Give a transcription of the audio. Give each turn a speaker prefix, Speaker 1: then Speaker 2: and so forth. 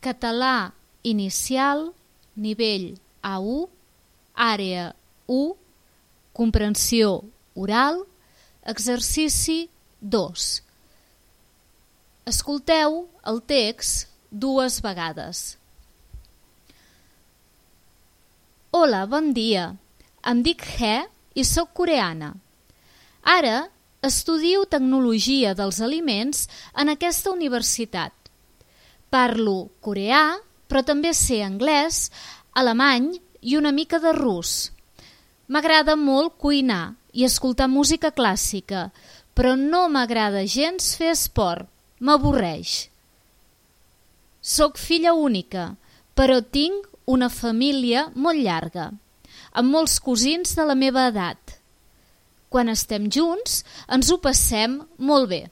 Speaker 1: Català inicial, nivell A1, àrea 1, comprensió oral, exercici 2. Escolteu el text 2 vegades. Hola, bon dia. Em dic He i soc coreana. Ara estudio tecnologia dels aliments en aquesta universitat. Parlo coreà, però també sé anglès, alemany i una mica de rus. M'agrada molt cuinar i escoltar música clàssica, però no m'agrada gens fer esport, m'avorreix. Soc filla única, però tinc una família molt llarga, amb molts cosins de la meva edat. Quan estem junts ens ho passem molt bé.